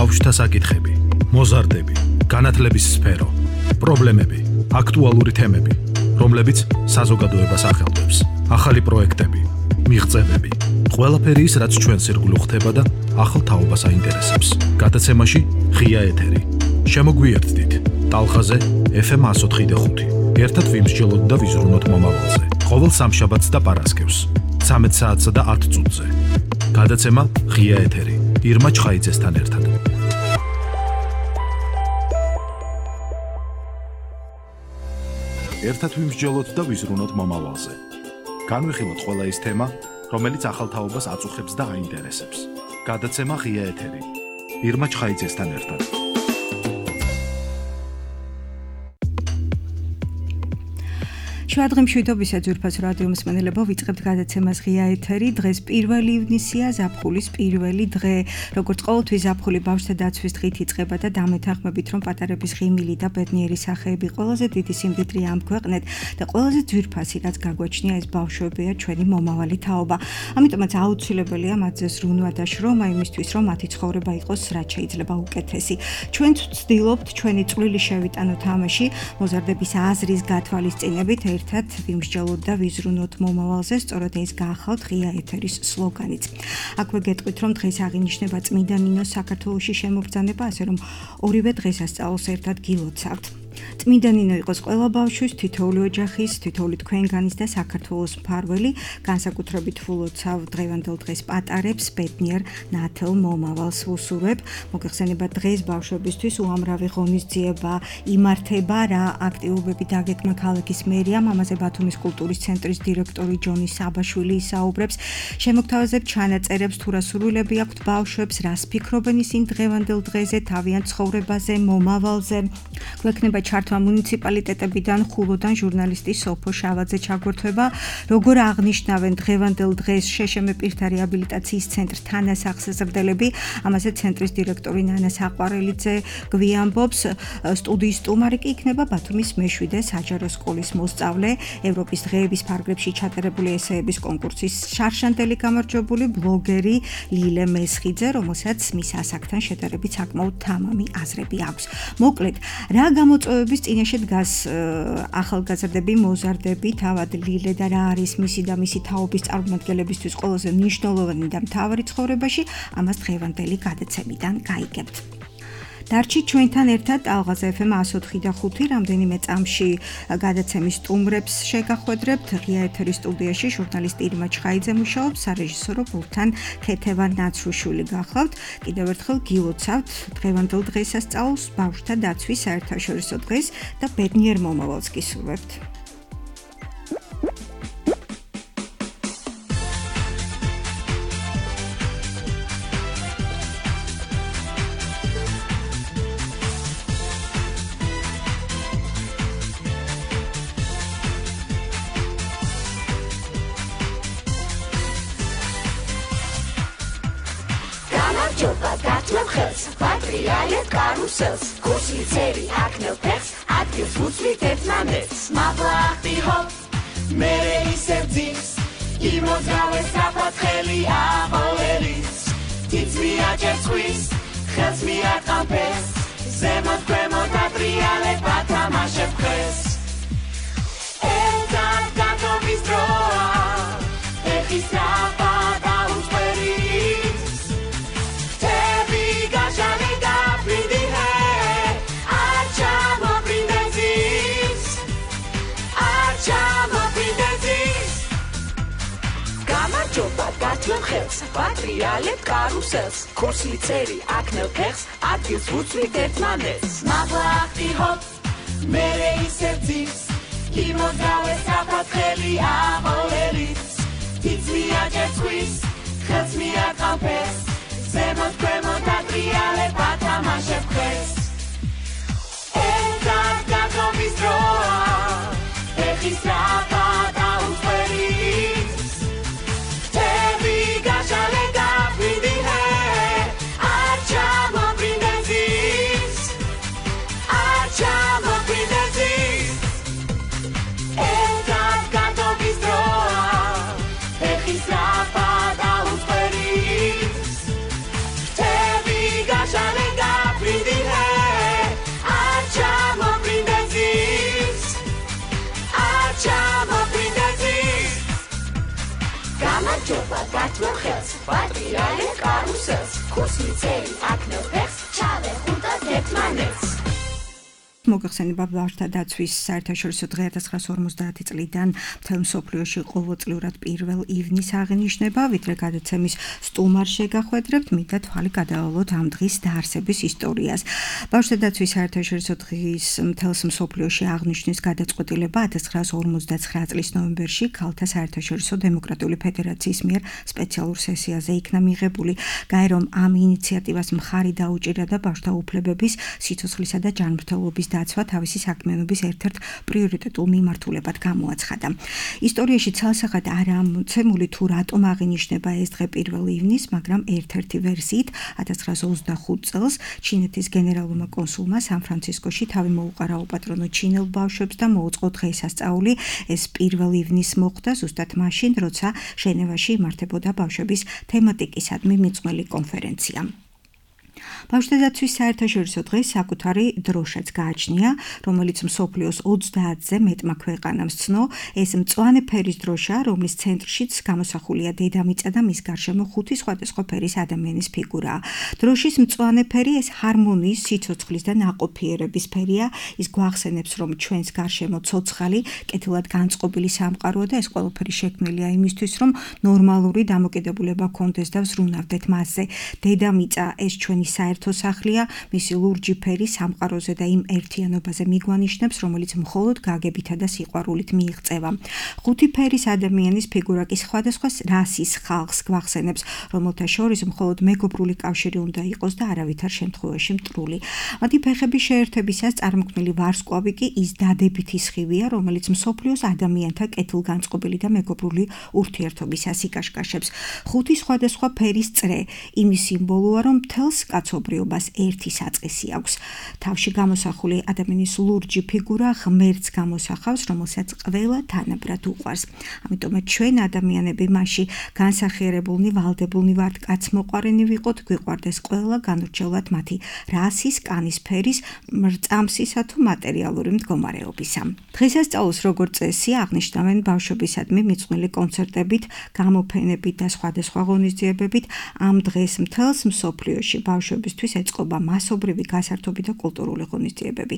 ბავშვთა საკითხები, მოზარდები, განათლების სფერო, პრობლემები, აქტუალური თემები, რომლებიც საზოგადოებას ახელვებს, ახალი პროექტები, მიღწევები, ყველაფერი ის, რაც ჩვენს ირგვლივ ხდება და ახალ თაობას აინტერესებს. გადაცემაში ღია ეთერი. შემოგვიერთდით ტალღაზე FM 104.5. ერთად ვიმსჯელოთ და ვიზრუნოთ მომავალზე. ყოველ სამშაბათს და პარასკევს 13 საათსა და 10 წუთზე. გადაცემა ღია ეთერი. ირმა ჩხაიძესთან ერთად. ერთად ვიმსჯელოთ და ვიზრუნოთ მომავალზე. განვიხილოთ ყველა ის თემა, რომელიც ახალ თაობას აწუხებს და აინტერესებს. გადაცემა ღია ეთერი. ირმა ჩხაიძესთან ერთად. შუადღემშვიდობისა ძვირფას რადიო მსმენელებო, ვიწყებთ გადაცემას ღია ეთერი. დღეს 1 ივნისია, ზაფხულის პირველი დღე. როგორც ყოველთვის ზაფხული ბავშვთა დაცვის დღით იწყება და დამეთანხმებით, რომ პატარების ღიმილი და ბედნიერი სახეები ყველაზე დიდი სიმდიდრე ამ ქვეყნეთ და ყველაზე ძვირფასი, რაც გაგვაჩნია, ეს ბავშვებია, ჩვენი მომავალი თაობა. ამიტომაც აუცილებელია მათზე ზრუნვა და შრომა იმისთვის, რომ მათი ცხოვრება იყოს რაც შეიძლება უკეთესი. ჩვენც ვცდილობთ ჩვენი წვლილი შევიტანოთ ამაში, მოზარდების აზრის გათვალისწინებით ერთად ვიმსჯელოთ და ვიზრუნოთ მომავალზე, სწორედ ეს გაახავთ ღია ეთერის სლოგანიც. აქვე გეტყვით, რომ დღეს აღინიშნება წმინდა ნინოს საქართველოში შემობრძანება, ასე რომ ორივე დღესასწაულს ერთად გილოცავთ. წმინდა ნინო იყოს ყველა ბავშვის, თითოეული ოჯახის, თითოეული თქვენგანის და საქართველოს მფარველი, განსაკუთრებით ვულოცავ დღევანდელ დღეს პატარებს, ბედნიერ ნათელ მომავალს ვუსურვებ. მოგეხსენება დღეს ბავშვებისთვის უამრავი ღონისძიება იმართება, რა აქტივობები დაგეგმა ქალაქის მერიამ, ამაზე ბათუმის კულტურის ცენტრის დირექტორი ჯონი საბაშვილი ისაუბრებს. შემოგთავაზებთ ჩანაწერებს, თუ რა სურვილები აქვთ ბავშვებს, რას ფიქრობენ ისინი დღევანდელ დღეზე, თავიანთ ცხოვრებაზე, მომავალზე. გვექნება ჩართვა მუნიციპალიტეტებიდან, ხულოდან ჟურნალისტი სოფო შავაძე ჩაგვერთვება, როგორ აღნიშნავენ დღევანდელ დღეს შეშმ პირთა რეაბილიტაციის ცენტრ თანას აღსაზრდელები. ამაზე ცენტრის დირექტორი ნანა საყვარელიძე გვიამბობს. სტუდიის სტუმარი კი იქნება ბათუმის მე-7 საჯარო სკოლის მოსწავლე, ევროპის დღეების ფარგლებში ჩატარებული ესეების კონკურსის შარშანდელი გამარჯვებული ბლოგერი ლილე მესხიძე, რომელსაც მის ასაკთან შედარებით საკმაოდ თამამი აზრები აქვს. მოკლედ, რა გამოწვევების წინაშე დგას ახალგაზრდები, მოზარდები, თავად ლილე და რა არის მისი და მისი თაობის წარმომადგენლებისთვის ყველაზე მნიშვნელოვანი და მთავარი ცხოვრებაში, ამას დღევანდელი გადაცემიდან გაიგებთ. დარჩით ჩვენთან ერთად ტალღაზე FM 104.5 რამდენიმე წამში გადაცემის სტუმრებს შეგახვედრებთ. ღია ეთერის სტუდიაში ჟურნალისტი ირმა ჩხაიძე მუშაობს, სარეჟისორო პულტთან ქეთევან ნაცრუშვილი გახლავთ. კიდევ ერთხელ გილოცავთ დღევანდელ დღესასწაულს, ბავშვთა დაცვის საერთაშორისო დღეს და ბედნიერ მომავალს გისურვებთ. Patrialet karusels, kursi ceri aknel pers, adgils vucvit etmanets, mablachti hop, mere iserdzis, imozgales sapatcheli avolelis, tits miačers huis, chels miatkampes, zemot kremot patrialet patamašev kres. Elzat gatovis droa, echis rapada usperiz, Patrialet karusels, kursi ceri aknel pers, adgils vucvit etmanets, mablachti hop, mere iserdzis, imozgales sapatcheli avolelis, tits miačers huis, chels miatkampes, zemot kremot patrialet patamašev kres. Elzat gatovis droa, echis rapada usperiz, Te ჯობა გათმევ ხელს პატრიარეს კარუსელს ქურსი წელი აკნევ ფეხს ჩავე ხუნტას ერთმანეთს მოგახსენება ბავშვთა დაცვის საერთაშორისო დღე 1950 წლიდან მთელ მსოფლიოში ყოველწლიურად 1 ივნისს აღინიშნება, ვიდრე გადაცემის სტუმარ შეგახვედრებთ, მინდა თვალი გადავალოთ ამ დღის დაარსების ისტორიას. ბავშვთა დაცვის საერთაშორისო დღის მთელ მსოფლიოში აღნიშნის გადაწყვეტილება 1959 წლის ნოემბერში ქალთა საერთაშორისო დემოკრატიული ფედერაციის მიერ სპეციალურ სესიაზე იქნა მიღებული. გაერომ ამ ინიციატივას მხარი დაუჭირა და ბავშვთა უფლებების, სიცოცხლისა და ჯანმრთელობის დაცვა თავისი საქმიანობის ერთ-ერთ პრიორიტეტულ მიმართულებად გამოაცხადა. ისტორიაში ცალსახად არაა მოცემული თუ რატომ აღინიშნება ეს დღე 1 ივნისს, მაგრამ ერთ-ერთი ვერსიით 1925 წელს ჩინეთის გენერალურმა კონსულმა სან-ფრანცისკოში თავი მოუყარა უპატრონო ჩინელ ბავშვებს და მოუწყო დღესასწაული. ეს 1 ივნისს მოხდა ზუსტად მაშინ, როცა ჟენევაში იმართებოდა ბავშვების თემატიკისადმი მიძღვნილი კონფერენცია. ბავშვთა დაცვის საერთაშორისო დღეს საკუთარი დროშაც გააჩნია, რომელიც მსოფლიოს 30-ზე მეტმა ქვეყანამ სცნო. ეს მწვანე ფერის დროშა, რომლის ცენტრშიც გამოსახულია დედამიწა და მის გარშემო 5 სხვადასხვა ფერის ადამიანის ფიგურაა. დროშის მწვანე ფერი ეს ჰარმონიის, სიცოცხლის და ნაყოფიერების ფერია. ის გვახსენებს, რომ ჩვენს გარშემო ცოცხალი, კეთილად განწყობილი სამყაროა და ეს ყველაფერი შექმნილია იმისთვის, რომ ნორმალური დამოკიდებულება გქონდეს და ვზრუნავდეთ მასზე. დედამიწა ეს ჩვენი საერთო სახლია, მისი ლურჯი ფერი სამყაროზე და იმ ერთიანობაზე მიგვანიშნებს, რომელიც მხოლოდ გაგებითა და სიყვარულით მიიღწევა. 5 ფერის ადამიანის ფიგურა კი სხვადასხვა რასის ხალხს გვახსენებს, რომელთა შორის მხოლოდ მეგობრული კავშირი უნდა იყოს და არავითარ შემთხვევაში მტრული. მათი ფეხების შეერთებისას წარმოქმნილი ვარსკვლავი კი ის დადებითი სხივია, რომელიც მსოფლიოს ადამიანთა კეთილგანწყობილი და მეგობრული ურთიერთობისას იკაშკაშებს. 5 სხვადასხვა ფერის წრე იმის სიმბოლოა, რომ მთელს კაცობრიობას ერთი საწყისი აქვს. თავში გამოსახული ადამიანის ლურჯი ფიგურა ღმერთს გამოსახავს, რომელსაც ყველა თანაბრად უყვარს. ამიტომაც ჩვენ ადამიანები მასში განსახიერებულნი, ვალდებულნი ვართ კაცმოყვარენი ვიყოთ, გვიყვარდეს ყველა განურჩევლად მათი რასის, კანის ფერის, მრწამსისა თუ მატერიალური მდგომარეობისა. დღესასწაულს როგორც წესი აღნიშნავენ ბავშვებისადმი მიძღვნილი კონცერტებით, გამოფენებით და სხვადასხვა ღონისძიებებით. ამ დღეს მთელს მსოფლიოში ბავშვებისთვის ეწყობა მასობრივი გასართობი და კულტურული ღონისძიებები.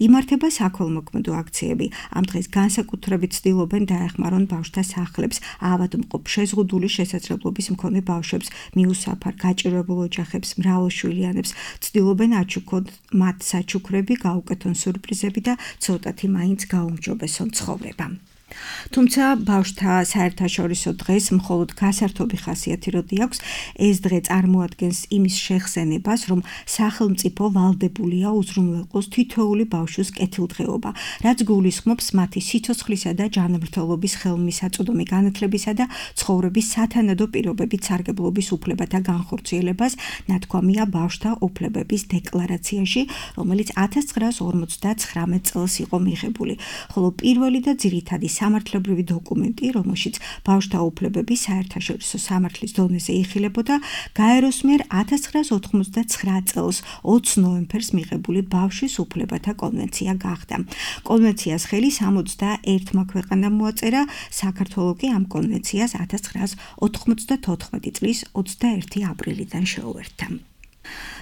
იმართება საქველმოქმედო აქციები. ამ დღეს განსაკუთრებით ცდილობენ დაეხმარონ ბავშვთა სახლებს, ავადმყოფ, შეზღუდული შესაძლებლობის მქონე ბავშვებს, მიუსაფარ, გაჭირვებულ ოჯახებს, მრავალშვილიანებს. ცდილობენ აჩუქონ მათ საჩუქრები, გაუკეთონ სურპრიზები და ცოტათი მაინც გაუმჯობესონ ცხოვრება. თუმცა ბავშვთა საერთაშორისო დღეს მხოლოდ გასართობი ხასიათი როდი აქვს, ეს დღე წარმოადგენს იმის შეხსენებას, რომ სახელმწიფო ვალდებულია უზრუნველყოს თითოეული ბავშვის კეთილდღეობა, რაც გულისხმობს მათი სიცოცხლისა და ჯანმრთელობის ხელმისაწვდომი განათლებისა და ცხოვრების სათანადო პირობებით სარგებლობის უფლებათა განხორციელებას, ნათქვამია ბავშვთა უფლებების დეკლარაციაში, რომელიც 1959 წელს იყო მიღებული, ხოლო პირველი და ძირითადი სამართლებრივი დოკუმენტი, რომელშიც ბავშვთა უფლებები საერთაშორისო სამართლის დონეზე იხილებოდა, გაეროს მიერ 1989 წელს 20 ნოემბერს მიღებული ბავშვის უფლებათა კონვენცია გახდა. კონვენციას ხელი 61 ქვეყანამ მოაწერა, საქართველო კი ამ კონვენციას 1994 წლის 21 აპრილიდან შეუერთდა.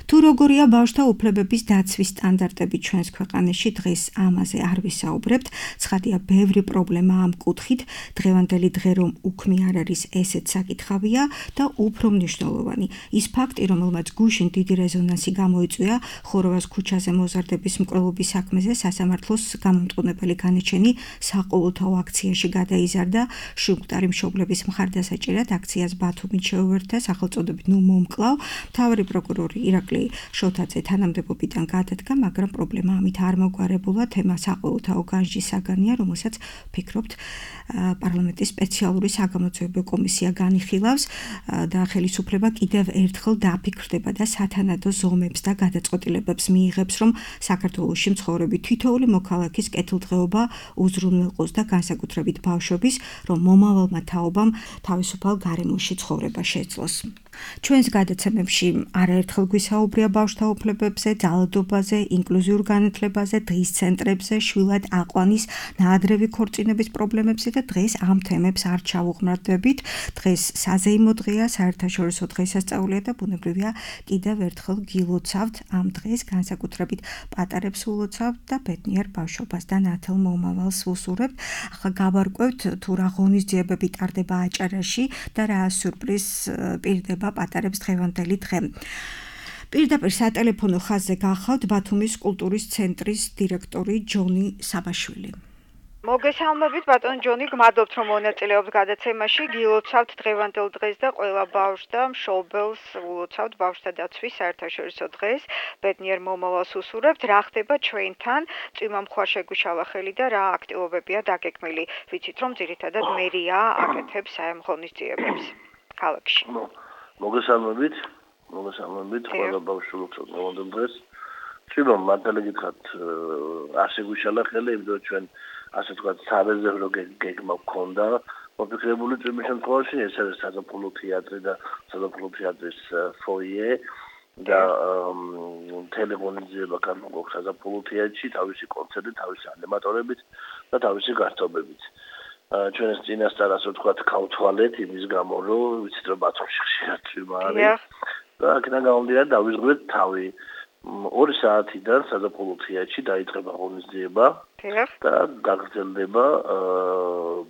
თუ როგორია ბავშვთა უფლებების დაცვის სტანდარტები ჩვენს ქვეყანაში, დღეს ამაზე არ ვისაუბრებთ. ცხადია, ბევრი პრობლემა ამ კუთხით, დღევანდელი დღე რომ უქმი არ არის, ესეც საკითხავია და უფრო მნიშვნელოვანი. ის ფაქტი, რომელმაც გუშინ დიდი რეზონანსი გამოიწვია, ხოროვას ქუჩაზე მოზარდების მკვლელობის საქმეზე სასამართლოს გამომტყუნებელი განაჩენი საყოველთაო აქციაში გადაიზარდა, შუქტარი მშობლების მხარდასაჭერად აქციას ბათუმით შეუერთდა სახელწოდებით ნუ მომკლავ. მთავარი პროკურორი ირაკლი შოთაძე თანამდებობიდან გადადგა, მაგრამ პრობლემა ამით არ მოგვარებულა. თემა საყოველთაო განჯის საგანია, რომელსაც ვფიქრობთ პარლამენტის სპეციალური საგამოძიებო კომისია განიხილავს და ხელისუფლება კიდევ ერთხელ დაფიქრდება და სათანადო ზომებს და გადაწყვეტილებებს მიიღებს, რომ საქართველოში მცხოვრები თითოეული მოქალაქის კეთილდღეობა უზრუნველყოს და განსაკუთრებით ბავშვების, რომ მომავალმა თაობამ თავისუფალ გარემოში ცხოვრება შეძლოს. ჩვენს გადაცემებში არაერთხელ გვისაუბრია ბავშვთა უფლებებზე, ძალადობაზე, ინკლუზიურ განათლებაზე, დღის ცენტრებზე, შვილად აყვანის, ნაადრევი ქორწინების პრობლემებზე და დღეს ამ თემებს არ ჩავუღმრთდებით. დღეს საზეიმო დღეა, საერთაშორისო დღესასწაულია და ბუნებრივია კიდევ ერთხელ გილოცავთ ამ დღეს, განსაკუთრებით პატარებს ულოცავთ და ბედნიერ ბავშვობას და ნათელ მომავალს ვუსურებთ. ახლა გავარკვევთ თუ რა ღონისძიებები ტარდება აჭარაში და რა სიურპრიზ პირდება პატარებს დღევანდელი დღე. პირდაპირ სატელეფონო ხაზზე გახავთ ბათუმის კულტურის ცენტრის დირექტორი ჯონი საბაშვილი. მოგესალმებით ბატონ ჯონი, გმადლობთ რომ მონაწილეობთ გადაცემაში. გილოცავთ დღევანდელ დღეს და ყველა ბავშვს და მშობელს ულოცავთ ბავშვთა დაცვის საერთაშორისო დღეს. ბედნიერ მომავალს უსურებთ. რა ხდება ჩვენთან? წვიმა მხარ შეგვიშალა ხელი და რა აქტივობებია დაგეგმილი? ვიცით რომ ძირითადად მერია აკეთებს ამ ღონისძიებებს ქალაქში. მოგესალმებით ყველა ბავშვს ულოცავთ დღევანდელ დღეს. წვიმა მართალი გითხრათ არ შეგვიშალა ხელი, იმიტომ ჩვენ ასე ვთქვათ, სარეზერვო გეგმა გქონდა მოფიქრებული წვიმის შემთხვევაში, ეს არის საზაფხულო თეატრი და საზაფხულო თეატრის ფოიე და მთელი ღონისძიება განმოგვაქვს საზაფხულო თეატრში, თავისი კონცერტით, თავისი ანიმატორებით და თავისი გასწავლებით. ჩვენ ეს წინასწარ ასე ვთქვათ, გავთვალეთ იმის გამო, რომ ვიცით რომ ბათუმში ხშირად წვიმა არის და აქედან გამომდინარე დავიზღვეთ თავი. 2 საათიდან საზაფხულო თეატრში დაიწყება ღონისძიება და გაგრძელდება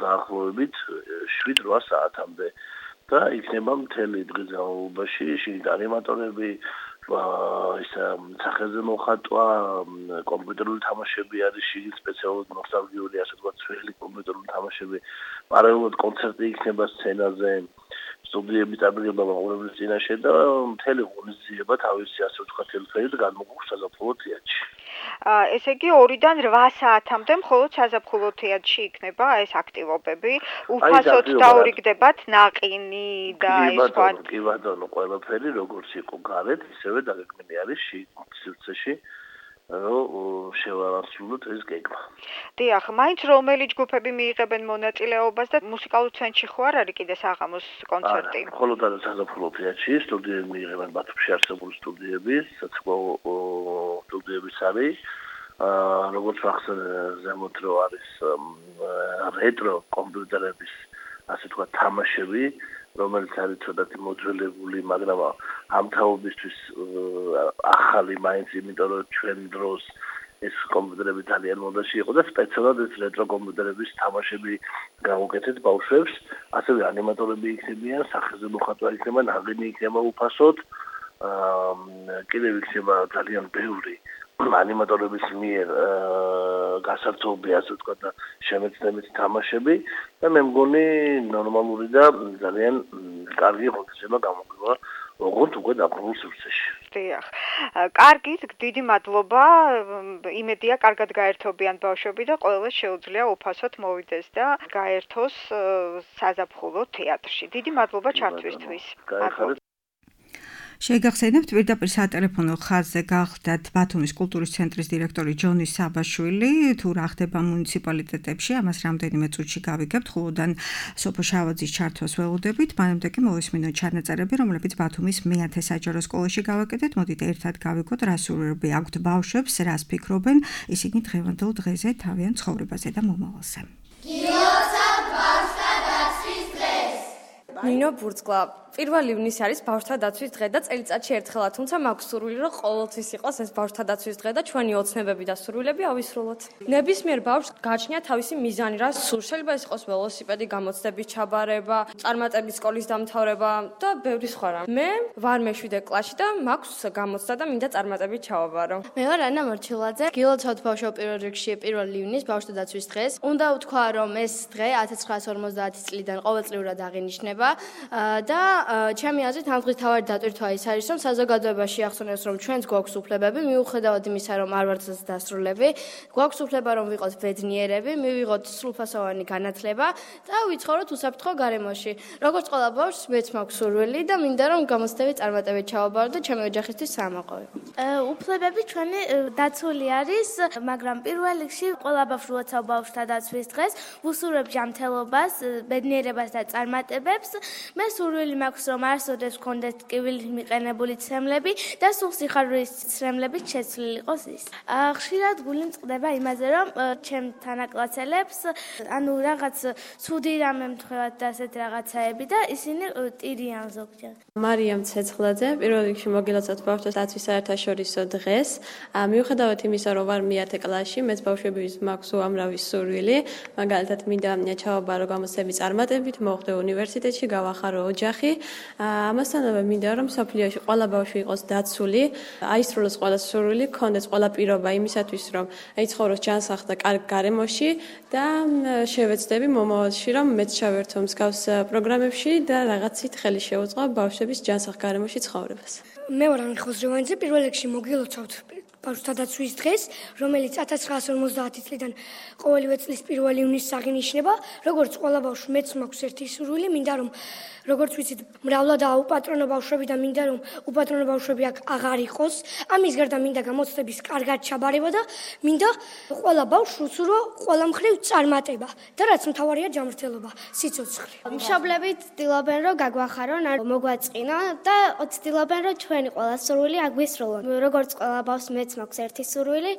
დაახლოებით 7-8 საათამდე და იქნება მთელი დღის განმავლობაში შიგნით ანიმატორები, სახეზე მოხატვა, კომპიუტერული თამაშები არის შიგნით სპეციალურად ნოსტალგიური, ასე ვთქვათ, ძველი კომპიუტერული თამაშები, პარალელურად კონცერტი იქნება სცენაზე, სტუდიები წარდგება მაყურებლის წინაშე და მთელი ღონისძიება თავისი ასე ვთქვათ ელფერით განმოგვაქვს საზაფხულო თეატრში. ესე იგი 2-დან 8 საათამდე მხოლოდ საზაფხულო თეატრში იქნება ეს აქტივობები. უფასოდ დაურიგდებათ ნაყინი და ეს სხვა. კი ბატონო, ყველაფერი როგორც იყო გარეთ, ისევე დაგეგმილი არის სივრცეში. რომ შევარასრულოთ ეს გეგმა. დიახ, მაინც რომელი ჯგუფები მიიღებენ მონაწილეობას და მუსიკალურ ცენტრში ხო არ არის კიდე საღამოს კონცერტი? მხოლოდ არის საზაფხულო თეატრში, სტუდიები მიიღებენ ბათუმში არსებული სტუდიები, საცხოვრო სტუდიების არის. როგორც ახსენეთ, ზემოთ რო არის რეტრო კომპიუტერების ასე ვთქვათ თამაშები, რომელიც არის ცოტათი მოძველებული, მაგრამ ამ თაობისთვის ახალი მაინც, იმიტომ რომ ჩვენ დროს ეს კომპიუტერები ძალიან მოდაში იყო და სპეციალურად ეს რეტრო კომპიუტერების თამაშები გავუკეთეთ ბავშვებს, ასევე ანიმატორები იქნებიან, სახეზე მოხატვა იქნება, ნაღინი იქნება უფასოდ, კიდევ იქნება ძალიან ბევრი ანიმატორების მიერ გასართობი, ასე ვთქვათ, და შემეცნებითი თამაშები და მე მგონი ნორმალური და ძალიან კარგი ღონისძიება გამოგვივა როგორც უკვე დაბრუნებულ სივრცეში. დიახ. კარგით, დიდი მადლობა. იმედია კარგად გაერთობიან ბავშვები და ყველას შეუძლია უფასოდ მოვიდეს და გაერთოს საზაფხულო თეატრში. დიდი მადლობა ჩართვისთვის. შეგახსენებთ პირდაპირ სატელეფონო ხაზზე გახდათ ბათუმის კულტურის ცენტრის დირექტორი ჯონი საბაშვილი. თუ რა ხდება მუნიციპალიტეტებში, ამას რამდენიმე წუთში გავიგებთ. ხულოდან სოფო შავაძის ჩართვას ველოდებით. მანამდე კი მოვისმინოთ ჩანაწერები, რომლებიც ბათუმის მე-10 საჯარო სკოლაში გავაკეთეთ. მოდით ერთად გავიგოთ, რა სურვილები აქვთ ბავშვებს, რას ფიქრობენ ისინი დღევანდელ დღეზე, თავიანთ ცხოვრებაზე და მომავალზე. გილოცავთ ბავშვთა დაცვის დღეს. ნინო ბურცკლა 1 ივნისი არის ბავშვთა დაცვის დღე და წელიწადში ერთხელა, თუმცა მაქვს სურვილი, რომ ყოველთვის იყოს ეს ბავშვთა დაცვის დღე და ჩვენი ოცნებები და სურვილები ავისრულოთ. ნებისმიერ ბავშვს გააჩნია თავისი მიზანი, რა სურს. შეიძლება ეს იყოს ველოსიპედი, გამოცდების ჩაბარება, წარმატების სკოლის დამთავრება და ბევრი სხვა რამ. მე ვარ მე-7 კლასში და მაქვს გამოცდა და მინდა წარმატებით ჩავაბარო. მე ვარ ანა მარჩილაძე. გილოცავთ ბავშვო პირველ რიგში 1 ივნის ბავშვთა დაცვის დღეს. უნდა ვთქვა, რომ ეს დღე 1950 წლიდან ყოველწლიურად აღინიშნება და ჩემი აზრით ამ დღის თავარი დატვირთვა ის არის, რომ საზოგადოებაში ახსენებს, რომ ჩვენს გვაქვს უფლებები, მიუხედავად იმისა, რომ არ ვართ დასრულები, გვაქვს უფლება, რომ ვიყოთ ბედნიერები, მივიღოთ სრულფასოვანი განათლება და ვიცხოვროთ უსაფრთხო გარემოში. როგორც ყველა ბავშვს, მეც მაქვს სურვილი და მინდა, რომ გამოცდები წარმატებით ჩავაბარო და ჩემი ოჯახისთვის საამაყოვე. უფლებები ჩვენი დაცული არის, მაგრამ პირველ რიგში ყველა ბავშვს ულოცავ ბავშვთა დაცვის დღეს, ვუსურვებ ჯანმრთელობას, ბედნიერებას და წარმატებებს მე სურვილი მაქვს რომ არსოდეს კონდეთ კივილით მიყენებული ცრემლები და სულ სიხარულის ცრემლებით შეცვლილი იყოს ის. ხშირად გული მწყდება იმაზე რომ ჩემ თანაკლასელებს ანუ რაღაც ცუდი რამე მთხოვათ და ასეთ რაღაცაები და ისინი ტირიან ზოგჯერ. მარიამ ცეცხლაძე პირველ რიგში მოგილოცავთ ბავშვთა დაცვის საერთაშორისო დღეს. მიუხედავად იმისა, რომ ვარ მე-10 კლასში, მეც ბავშვების მაქვს უამრავი სურვილი, მაგალითად მინდა ჩავაბარო გამოცდები წარმატებით, მოვხდე უნივერსიტეტში, გავახარო ოჯახი. ამასთანავე მინდა რომ სოფლიოში ყველა ბავშვი იყოს დაცული, აისრულოს ყველა სურვილი, ქონდეს ყველა პირობა იმისათვის, რომ ეცხოვროს ჯანსაღ და კარგ გარემოში და შევეცდები მომავალში, რომ მეც ჩავერთო მსგავს პროგრამებში და რაღაცით ხელი შევუწყო ბავშვების ჯანსაღ გარემოში ცხოვრებას. მე ვარ ანრი ხოზრევანიძე, პირველ რიგში მოგილოცავთ ბავშვთა დაცვის დღეს, რომელიც 1950 წლიდან ყოველივე წლის 1 ივნისს აღინიშნება, როგორც ყველა ბავშვი მეც მაქვს ერთი სურვილი, მინდა რომ როგორც ვიცით, მრავლადაა უპატრონო ბავშვები და მინდა რომ უპატრონო ბავშვები აქ აღარ იყოს. ამის გარდა მინდა გამოცდების კარგად ჩაბარება და მინდა ყველა ბავშვს უსურო ყველა მხრივ წარმატება და რაც მთავარია ჯანმრთელობა, სიცოცხლე. მშობლები ცდილობენ რომ გაგვახარონ, არ მოგვაწყინო და ცდილობენ რომ ჩვენი ყველა სურვილი აგვისრულონ. როგორც ყველა ბავშვს მეც მაქვს ერთი სურვილი,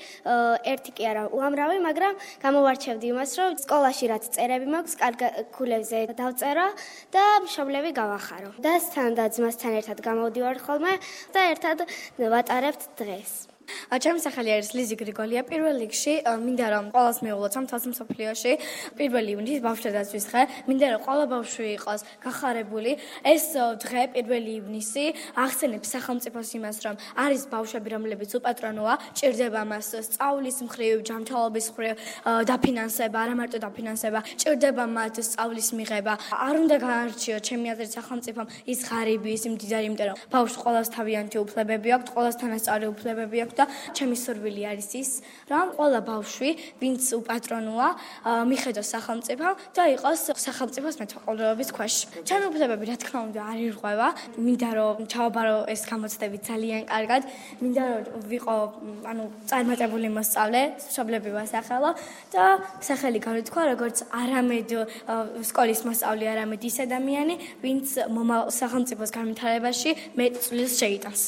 ერთი კი არა, უამრავი, მაგრამ გამოვარჩევდი იმას, რომ სკოლაში რაც წერები მაქვს, კარგ ქულებზე დავწერო და მშობლები გავახარო. და სთან და ძმასთან ერთად გამოვდივარ ხოლმე და ერთად ვატარებთ დღეს. ჩემი სახელი არის ლიზი გრიგოლია. პირველ რიგში მინდა რომ ყველას მეულოცავ თავს მსოფლიოში 1 ივნისის ბავშვთა დაცვის დღე. მინდა რომ ყველა ბავშვი იყოს გახარებული. ეს დღე 1 ივნისი ახსენებს სახელმწიფოს იმას, რომ არის ბავშვები, რომლებიც უპატრონოა, ჭირდება მას სწავლის მხრივ, ჯანმრთელობის მხრივ დაფინანსება, არა მარტო დაფინანსება, ჭირდება მათ სწავლის მიღება. არ უნდა გაარჩიოთ ჩემი აზრით სახელმწიფომ ის ღარიბი, ის მდიდარი, იმიტომ რომ ბავშვს ყველას თავიანთი უფლებები აქვს, ყველას თანასწორი უფლებები აქვს. და ჩემი სურვილი არის ის, რომ ყველა ბავშვი, ვინც უპატრონოა, მიხედოს სახელმწიფომ და იყოს სახელმწიფოს მეთვალყურეობის ქვეშ. ჩემი უფლებები, რა თქმა უნდა, არ ირღვევა. მინდა რომ ჩავაბარო ეს გამოცდები ძალიან კარგად. მინდა რომ ვიყო, წარმატებული მოსწავლე, მშობლები ვასახელო და სახელი გავითქვა როგორც არამედ სკოლის მოსწავლე, არამედ ის ადამიანი, ვინც სახელმწიფოს განვითარებაში მეტ წვლილს შეიტანს.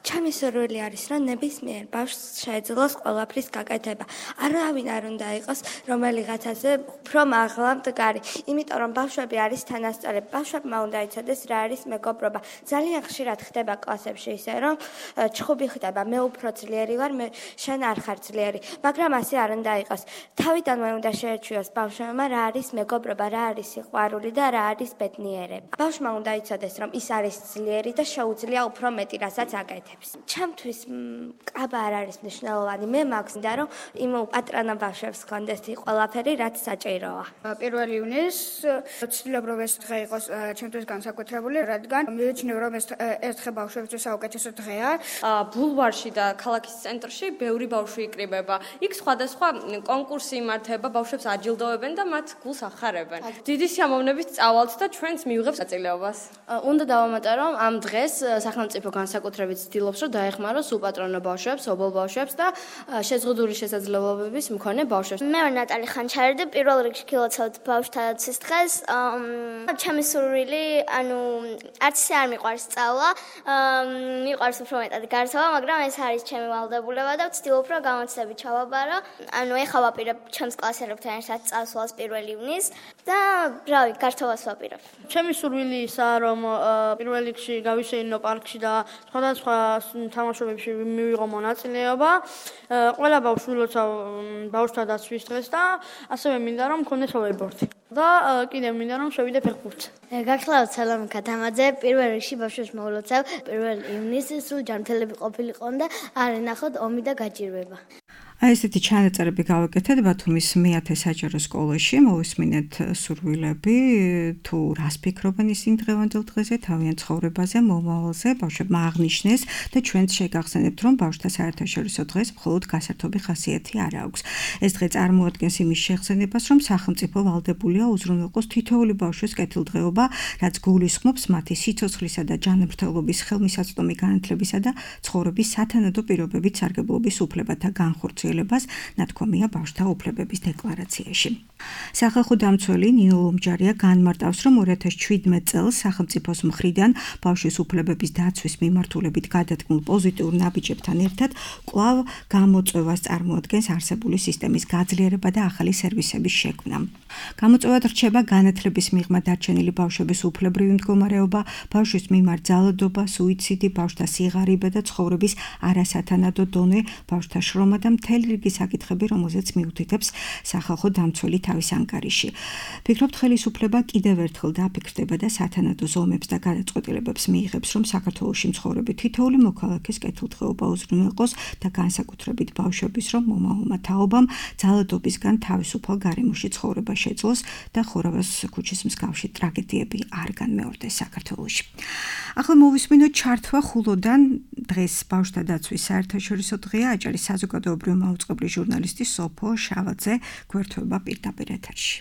ჩემი სურვილი არის, რომ ნებისმიერ ბავშვს შეეძლოს ყველაფრის გაკეთება. არავინ არ უნდა იყოს რომელიღაცაზე უფრო მაღლა მდგარი, იმიტომ რომ ბავშვები არის თანასწორები. ბავშვებმა უნდა იცოდეს რა არის მეგობრობა. ძალიან ხშირად ხდება კლასებში ისე, რომ ჩხუბი ხდება, მე უფრო ძლიერი ვარ, შენ არ ხარ ძლიერი, მაგრამ ასე არ უნდა იყოს. თავიდანვე უნდა შეეჩვიოს ბავშვებმა რა არის მეგობრობა, რა არის სიყვარული და რა არის ბედნიერება. ბავშვმა უნდა იცოდეს, რომ ის არის ძლიერი და შეუძლია უფრო მეტი, რასაც აკეთებს. ჩემთვის კაბა არ არის მნიშვნელოვანი. მე მაქვს და რომ იმ პატრონა ბავშვებს ჰქონდეს ყველაფერი, რაც საჭიროა. 1 ივნისს ვცდილობ რომ ეს დღე იყოს ჩემთვის განსაკუთრებული, რადგან მივიჩნევ რომ ეს დღე ბავშვებისთვის საუკეთესო დღეა. ბულვარში და ქალაქის ცენტრში ბევრი ბავშვი იკრიბება. იქ სხვადასხვა კონკურსი იმართება, ბავშვებს აჯილდოვებენ და მათ გულს ახარებენ. დიდი სიამოვნებით წავალთ და ჩვენც მივიღებთ საწილეობას. უნდა დავამატო რომ ამ დღეს სახელმწიფო განსაკუთრებით ცდილობს რომ დაეხმაროს უპატრონო ბავშვებს, ობოლ ბავშვებს და შეზღუდული შესაძლებლობების მქონე ბავშვებს. მე ვარ ნატალი ხანჩარი და პირველ რიგში გილოცავთ ბავშვთა დაცვის დღეს. ჩემი სურვილი, არც ისე არ მიყვარს სწავლა, მიყვარს უფრო მეტად გართობა, მაგრამ ეს არის ჩემი ვალდებულება და ვცდილობ რომ გამოცდები ჩავაბარო. ეხლა ვაპირებ ჩემს კლასელებთან ერთად წასვლას 1 ივნისს და რავი, გართობას ვაპირებ. ჩემი სურვილი ისაა, რომ 1 რიგში გავიშენინო პარკში და სხვადასხვა თამაშობებში მივიღო მონაწილეობა. ყველა ბავშვს ვილოცავ ბავშვთა დაცვის დღეს და ასევე მინდა რომ მქონდეს ჰოვერბორდი. და კიდევ მინდა რომ შევიდე ფეხბურთზე. გახლავთ სალომე ქათამაძე, 1 რიგში ბავშვებს მოვულოცავ 1 ივნისს სულ ჯანმრთელები ყოფილიყონ და არ ენახოთ ომი და გაჭირვება. აი ესეთი ჩანაწერები გავაკეთეთ ბათუმის მე-10 საჯარო სკოლაში, მოვისმინეთ სურვილები, თუ რას ფიქრობენ ისინი დღევანდელ დღეზე, თავიანთ ცხოვრებაზე, მომავალზე, ბავშვებმა აღნიშნეს და ჩვენც შეგახსენებთ, რომ ბავშვთა საერთაშორისო დღეს მხოლოდ გასართობი ხასიათი არ აქვს. ეს დღე წარმოადგენს იმის შეხსენებას, რომ სახელმწიფო ვალდებულია უზრუნველყოს თითოეული ბავშვის კეთილდღეობა, რაც გულისხმობს მათი სიცოცხლისა და ჯანმრთელობის ხელმისაწვდომი განათლებისა და ცხოვრების სათანადო პირობებით სარგებლობის უფლებათა განხორციელებას. განხორციელებას, ნათქვამია ბავშვთა უფლებების დეკლარაციაში. სახალხო დამცველი ნინო ლომჯარია განმარტავს, რომ 2017 წელს სახელმწიფოს მხრიდან ბავშვის უფლებების დაცვის მიმართულებით გადადგმულ პოზიტიურ ნაბიჯებთან ერთად კვლავ გამოწვევას წარმოადგენს არსებული სისტემის გაძლიერება და ახალი სერვისების შექმნა. გამოწვევად რჩება განათლების მიღმა დარჩენილი ბავშვების უფლებრივი მდგომარეობა, ბავშვის მიმართ ძალადობა, სუიციდი, ბავშვთა სიღარიბე და ცხოვრების არასათანადო დონე, ბავშვთა შრომა და მთელი რიგი საკითხები, რომელზეც მიუთითებს სახალხო დამცველი თავის ანგარიში. ფიქრობთ, ხელისუფლება კიდევ ერთხელ დაფიქრდება და სათანადო ზომებს და გადაწყვეტილებებს მიიღებს, რომ საქართველოში მცხოვრები თითოეული მოქალაქის კეთილდღეობა უზრუნველყოს და განსაკუთრებით ბავშვების, რომ მომავალმა თაობამ ძალადობისგან თავისუფალ გარემოში ცხოვრება შეძლოს და ხორავას ქუჩის მსგავსი ტრაგედიები არ განმეორდეს საქართველოში. ახლა მოვისმინოთ ჩართვა ხულოდან. დღეს ბავშვთა დაცვის საერთაშორისო დღეა. აჭარის საზოგადოებრივი მაუწყებლის ჟურნალისტი სოფო შავაძე გვერდება პირდაპირ ეთერში.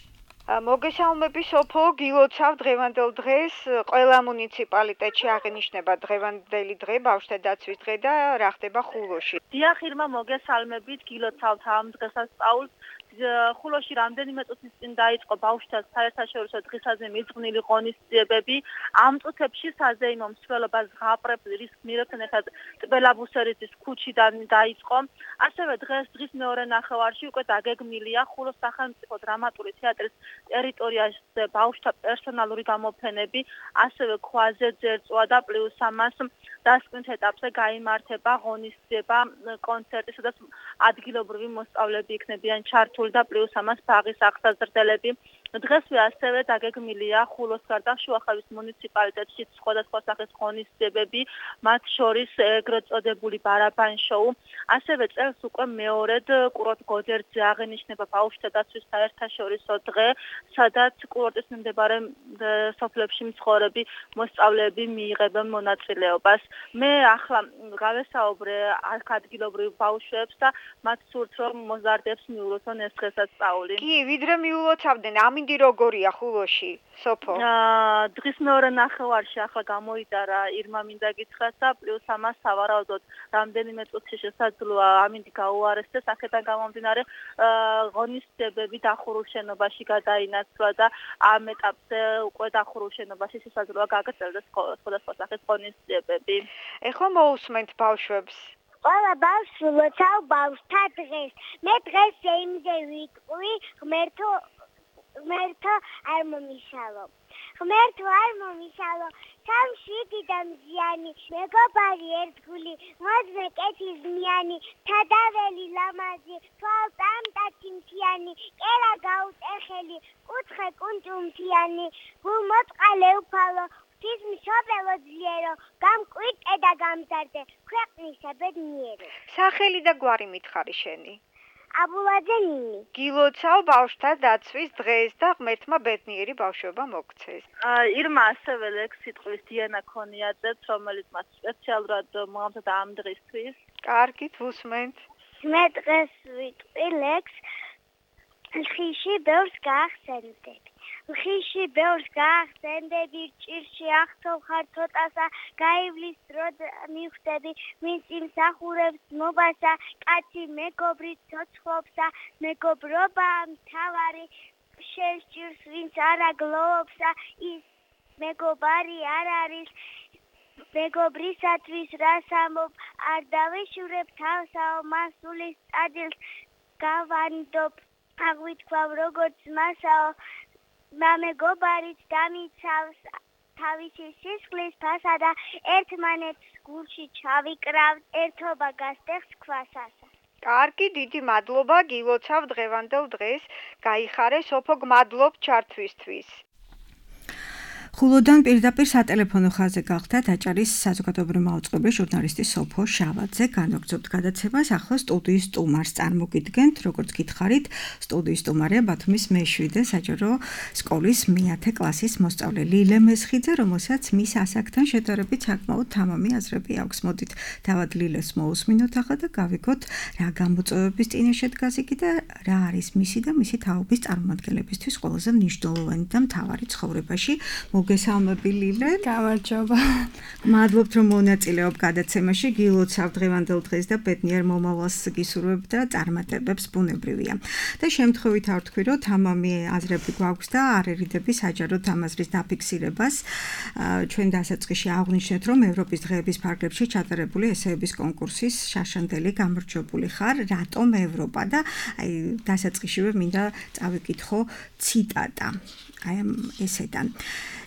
მოგესალმები სოფო, გილოცავ დღევანდელ დღეს ყველა მუნიციპალიტეტში აღინიშნება დღევანდელი დღე, ბავშვთა დაცვის დღე და რა ხდება ხულოში. დიახ, ირმა, მოგესალმებით, გილოცავთ ამ დღესასწაულს. ხულოში რამდენიმე წუთის წინ დაიწყო ბავშვთა საერთაშორისო დღისაზე მიძღვნილი ღონისძიებები. ამ წუთებში საზეიმო მსვლელობა ზღაპრების გმირებთან ერთად ტბელაბუსერეთის ქუჩიდან დაიწყო. ასევე დღის მეორე ნახევარში უკვე დაგეგმილია ხულოს სახელმწიფო დრამატული თეატრის ტერიტორიაზე ბავშვთა პერსონალური გამოფენები, ასევე ქვაზე ძერწვა და პლუს ამას დასკვნით ეტაპზე გაიმართება ღონისძიება, კონცერტი, სადაც ადგილობრივი მოსწავლეები იქნებიან ჩართული და პლუს ამას ბაღის აღსაზრდელები. დღესვე ასევე დაგეგმილია ხულოს გარდა შუახევის მუნიციპალიტეტში სხვადასხვა სახის ღონისძიებები, მათ შორის ეგრეთ წოდებული ბარაბან შოუ. ასევე წელს უკვე მეორედ კურორტ გოდერძზე აღინიშნება ბავშვთა დაცვის საერთაშორისო დღე, სადაც კურორტის მიმდებარე სოფლებში მცხოვრები მოსწავლეები მიიღებენ მონაწილეობას. მე ახლა გავესაუბრე აქ ადგილობრივ ბავშვებს და მათ სურთ, რომ მოზარდებს მიულოცონ ეს დღესასწაული. კი, ვიდრე მიულოცავდნენ, ამინდი როგორია ხულოში, სოფო? დღის მეორე ნახევარში ახლა გამოიტარა ირმა მინდა გითხრათ და პლუს ამას სავარაუდოდ რამდენიმე წუთში შესაძლოა ამინდი გაუარესდეს, აქედან გამომდინარე ღონისძიებები დახურულ შენობაში გადაინაცვლა და ამ ეტაპზე უკვე დახურულ შენობაში შესაძლოა გაგრძელდეს სხვადასხვა სახის ღონისძიებები. ეხლა მოусმენთ ბავშვებს. ყველა ბავშვს ვლოცავ ბავშვთა დღეს. მე დღეს იმზე ვიტყვი, ღმერთო არ მომიშალო. ღმერთო არ მომიშალო. სამშვიდი და მზიანი, მეგობარი ერთგული, მოძმე კეთილზმიანი, თადაველი ლამაზი, თვალწამტაცი მთიანი, კერა გაუტეხელი, კუთხე კუნჭუმთიანი, გულმოწყალე უფალო, ღვთისმშობელო ძლიერო, გამკვირტე და გამზარდე, ქვეყნისა ბედნიერო. სახელი და გვარი მითხარი შენი. აბულაძე ნინი. გილოცავ ბავშვთა დაცვის დღეს და ღმერთმა ბედნიერი ბავშვობა მოგცეს. ირმა ასევე ლექსი ტყვის დიანა ქონიაძეც, რომელიც მას სპეციალურად მოამზადა ამ დღისთვის. კარგით, ვუსმენთ. მე დღეს ვიტყვი ლექსს ხიში ბევრს გაახსენდები. ხიში ბევრს გაახსენდები, ჭირში ახთოვ ხარ ცოტასა, გაივლის დრო მიხვდები, ვინც იმსახურებს მობასა, კაცი მეგობრი ცოცხლობსა, მეგობრობა მთავარი, შეჭირს ვინც არა გლოვობსა, ის მეგობარი არ არის, მეგობრისათვის რას ამობ, არ დავეშურებ თავსაო, მასულის წადილს გავანდობ, აღვითქვავ როგორც მასაო, მამეგობარიც დამიცავს თავისი სისხლის ფასა და ერთმანეთს გულში ჩავიკრავთ, ერთობა გასტეხს ქვასასა. კარგი, დიდი მადლობა, გილოცავ დღევანდელ დღეს, გაიხარე სოფო, გმადლობ ჩართვისთვის. ხულოდან პირდაპირ სატელეფონო ხაზზე გახდათ აჭარის საზოგადოებრივი მაუწყებლის ჟურნალისტი სოფო შავაძე. განაგრძობთ გადაცემას. ახლა სტუდიის სტუმარს წარმოგიდგენთ, როგორც გითხარით, სტუდიის სტუმარია ბათუმის მე-7 საჯარო სკოლის მე-10 კლასის მოსწავლე ლილე მესხიძე, რომელსაც მის ასაკთან შედარებით საკმაოდ თამამი აზრები აქვს. მოდით თავად ლილეს მოусმინოთ ახლა და გავიგოთ რა გამოწვევების წინაშე დგას იგი და რა არის მისი და მისი თაობის წარმომადგენლებისთვის ყველაზე მნიშვნელოვანი და მთავარი ცხოვრებაში. მოგესალმები. გამარჯობა. მადლობთ რომ მონაწილეობ გადაცემაში. გილოცავ დღევანდელ დღეს და ბედნიერ მომავალს გისურვებ და წარმატებებს ბუნებრივია. და შემთხვევით არ ვთქვი რომ თამამი აზრები გვაქვს და არ ერიდები საჯარო თამაზრის დაფიქსირებას. ჩვენ დასაწყისში აღვნიშნეთ რომ ევროპის დღეების ფარგლებში ჩატარებული ესეების კონკურსის შაშანდელი გამარჯვებული ხარ. რატომ ევროპა და აი დასაწყისშივე მინდა წავიკითხო ციტატა. აი ესედან.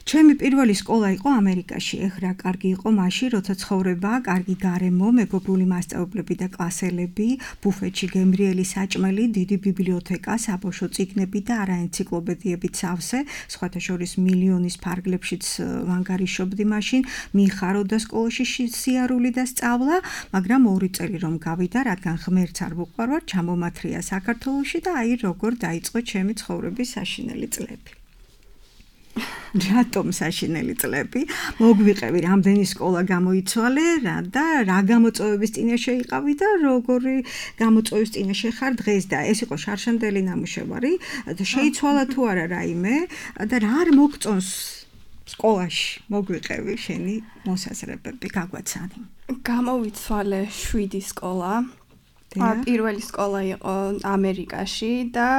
ჩემი პირველი სკოლა იყო ამერიკაში. ეხლა კარგი იყო მაშინ, როცა ცხოვრება, კარგი გარემო, მეგობრული მასწავლებლები და კლასელები, ბუფეტში გემრიელი საჭმელი, დიდი ბიბლიოთეკა, საბავშვო წიგნები და არაენციკლოპედიებით სავსე, სხვათა შორის მილიონის ფარგლებშიც ვანგარიშობდი მაშინ, მიხაროდა სკოლაში სიარული და სწავლა, მაგრამ 2 წელი რომ გავიდა, რადგან ღმერთს არ ვუყვარვარ, ჩამომათრია საქართველოში და აი როგორ დაიწყო ჩემი ცხოვრების საშინელი წლები. რატომ საშინელი წლები? მოგვიყევი რამდენი სკოლა გამოიცვალე და რა გამოწვევების წინაშე იყავი და როგორი გამოწვევის წინაშე ხარ დღეს და ეს იყო შარშანდელი ნამუშევარი და შეიცვალა თუ არა რაიმე და რა არ მოგწონს სკოლაში მოგვიყევი შენი მოსაზრებები გაგვაცანი. გამოვიცვალე 7 სკოლა. პირველი სკოლა იყო ამერიკაში და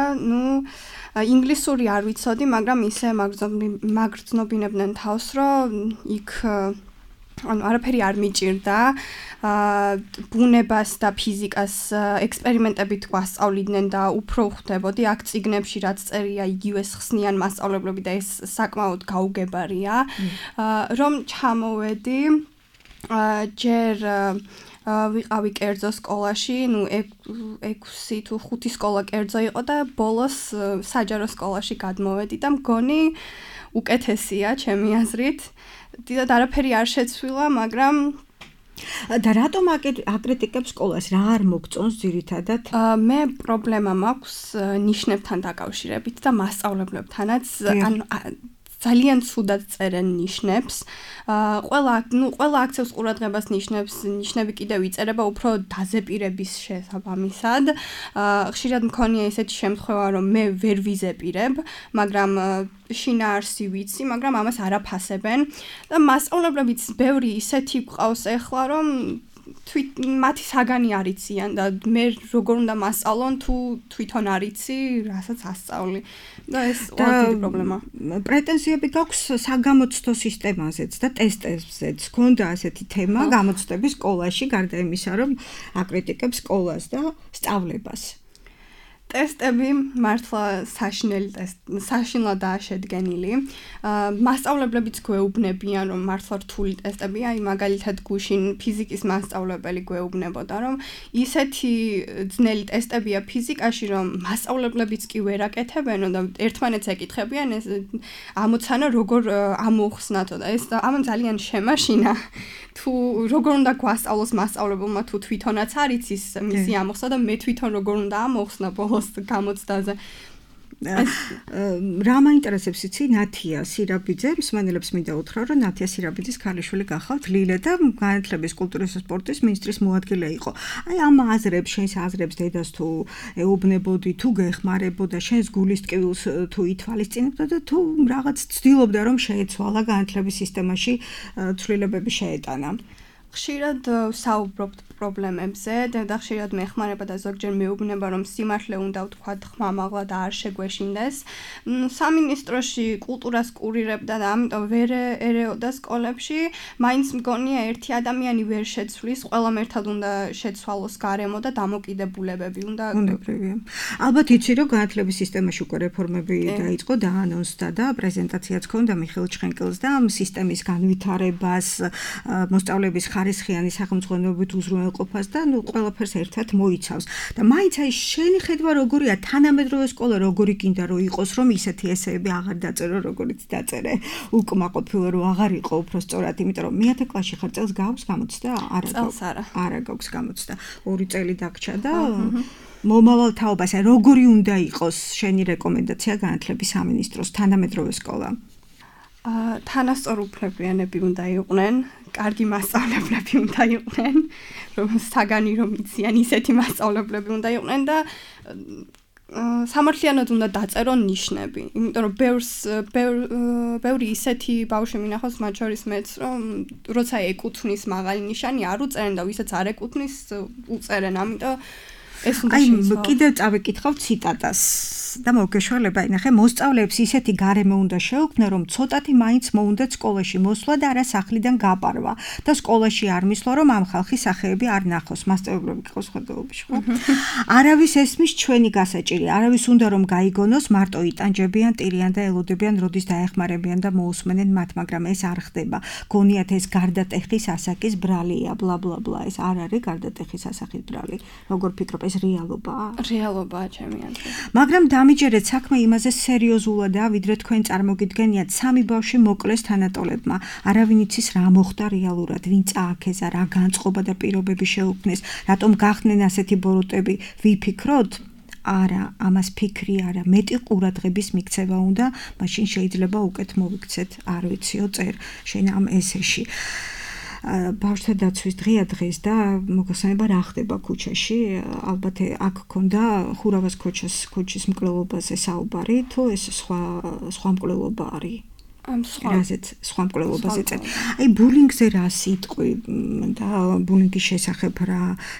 ინგლისური არ ვიცოდი, მაგრამ ისე მაგრძნობინებდნენ თავს, რომ იქ არაფერი არ მიჭირდა. ბუნებას და ფიზიკას ექსპერიმენტებით გვასწავლიდნენ და უფრო ხვდებოდი აქ წიგნებში რაც წერია იგივე ხსნიან მასწავლებლები და ეს საკმაოდ გაუგებარია. რომ ჩამოვედი ჯერ ვიყავი კერძო სკოლაში, 6 თუ 5 სკოლა კერძო იყო და ბოლოს საჯარო სკოლაში გადმოვედი და მგონი უკეთესია ჩემი აზრით. დიდად არაფერი არ შეცვლილა, მაგრამ და რატომ აკრიტიკებს სკოლას? რა არ მოგწონს ძირითადად? მე პრობლემა მაქვს ნიშნებთან დაკავშირებით და მასწავლებლებთანაც, ძალიან ცუდად წერენ ნიშნებს. ყველა აქცევს ყურადღებას ნიშნები კიდევ იწერება უფრო დაზეპირების შესაბამისად. ხშირად მქონია ესეთი შემთხვევა, რომ მე ვერ ვიზეპირებ, მაგრამ შინაარსი ვიცი, მაგრამ ამას არ აფასებენ. და მასწავლებლებიც ბევრი ისეთი გვყავს ეხლა, რომ მათი საგანი არ იციან და მე როგორ უნდა მასწავლონ თუ თვითონ არ იცი, რასაც ასწავლი. და ეს ყოველდღიური პრობლემა. პრეტენზიები გაქვს საგამოცდო სისტემაზეც და ტესტებზეც. ქონდა ასეთი თემა გამოცდების სკოლაში, გარდა იმისა, რომ აკრიტიკებს სკოლას და სწავლებას. ტესტები მართლა საშინლადაა შედგენილი. მასწავლებლებიც გვეუბნებიან, რომ მართლა რთული ტესტებია, აი მაგალითად გუშინ ფიზიკის მასწავლებელი გვეუბნებოდა, რომ ისეთი ძნელი ტესტებია ფიზიკაში, რომ მასწავლებლებიც კი ვერ აკეთებენო და ერთმანეთს ეკითხებიან ეს ამოცანა როგორ ამოხსნათო და ეს ამან ძალიან შემაშინა. თუ როგორ უნდა გვასწავლოს მასწავლებელმა თუ თვითონაც არ იცის მისი ამოხსნა და მე თვითონ როგორ უნდა ამოხსნა ბოლოს გამოცდაზე. რა მაინტერესებს იცი ნათია სირაბიძე, მსმენელებს მინდა უთხრა, რომ ნათია სირაბიძის ქალიშვილი გახავთ ლილე და განათლების კულტურის და სპორტის მინისტრის მოადგილე იყო. აი ამ აზრებს, შენს აზრებს დედას თუ ეუბნებოდი, თუ გეხმარებოდა, შენს გულის ტკივილს თუ ითვალისწინებდა და თუ რაღაც ცდილობდა რომ შეეცვალა განათლების სისტემაში ცვლილებები შეეტანა. ხშირად საუბრობთ პრობლემებზე და ხშირად მეხმარება და ზოგჯერ მეუბნება რომ სიმართლე უნდა ვთქვათ ხმამაღლა და არ შეგვეშინდეს. სამინისტროში კულტურას კურირებდა და ამიტომ ვერ ერეოდა სკოლებში, მაინც მგონია ერთი ადამიანი ვერ შეცვლის, ყველამ ერთად უნდა შეცვალოს გარემო და დამოკიდებულებები უნდა უნებრივია. ალბათ იცი რომ განათლების სისტემაში უკვე რეფორმები დაიწყო და ანონსდა და პრეზენტაციაც ჰქონდა მიხეილ ჩხენკელს და ამ სისტემის განვითარებას, მოსწავლეების ხარისხიანი სახელმძღვანელობით უზრუნველყოფას და ყველაფერს ერთად მოიცავს. და მაინც აი შენი ხედვა როგორია თანამედროვე სკოლა როგორი გინდა რომ იყოს რომ ისეთი ესეები აღარ დაწერო როგორიც დაწერე უკმაყოფილო რომ აღარ იყო უფრო სწორად, იმიტომ რომ მე-10 კლასში ხარ, წელს გაქვს გამოცდა? არა გაქვს გამოცდა. 2 წელი დაგჭა და მომავალ თაობას აი როგორი უნდა იყოს შენი რეკომენდაცია განათლების სამინისტროს თანამედროვე სკოლა? თანასწორუფლებიანები უნდა იყვნენ, კარგი მასწავლებლები უნდა იყვნენ, რომ საგანი რომ იციან ისეთი მასწავლებლები უნდა იყვნენ და სამართლიანად უნდა დაწერონ ნიშნები, იმიტომ რომ ბევრი ისეთი ბავშვი მინახავს, მათ შორის მეც, რომ როცა ეკუთვნის მაღალი ნიშანი არ უწერენ და ვისაც არ ეკუთვნის უწერენ, ამიტომ ეს უნდა შეიცვალოს. კიდევ წავეკითხავ ციტატას და მოგეშველება, ნახე, მოსწავლეებს ისეთი გარემო უნდა შეუქმნან, რომ ცოტათი მაინც მოუნდათ სკოლაში მოსვლა და არა სახლიდან გაპარვა და სკოლაში არ მისვლა, რომ ამ ხალხის სახეები არ ნახოს, მასწავლებლები ყავს ხედავებში, ხო? არავის ესმის ჩვენი გასაჭირი, არავის უნდა რომ გაიგონოს, მარტო იტანჯებიან, ტირიან და ელოდებიან, როდის დაეხმარებიან და მოусმენენ მათ, მაგრამ ეს არ ხდება. გონიათ ეს გარდატეხის ასაკის ბრალია, ბლა ბლა ბლა, ეს არ არის გარდატეხის ასაკის ბრალი. როგორ ფიქრობ, ეს რეალობაა? რეალობაა ჩემი აზრით. მაგრამ დამიჯერეთ საქმე იმაზე სერიოზულადაა, ვიდრე თქვენ წარმოგიდგენიათ, სამი ბავშვი მოკლეს თანატოლებმა. არავინ იცის რა მოხდა რეალურად, ვინ წააქეზა, რა განწყობა და პირობები შეუქმნეს, რატომ გახდნენ ასეთი ბოროტები, ვიფიქროთ? არა, ამას ფიქრი არა, მეტი ყურადღების მიქცევა უნდა, მაშინ შეიძლება უკეთ მოვიქცეთ, არ ვიციო, წერ შენ ამ ესეში. ბავშვთა დაცვის დღეა დღეს და მოგესალმება რა ხდება ქუჩაში, ალბათ აქ ქონდა ხურავას ქუჩის მკვლელობაზე საუბარი, თუ ეს სხვა მკვლელობა არის? სხვა მკვლელობაზე წერ. აი ბულინგზე რა სიტყვი და ბულინგის შესახებ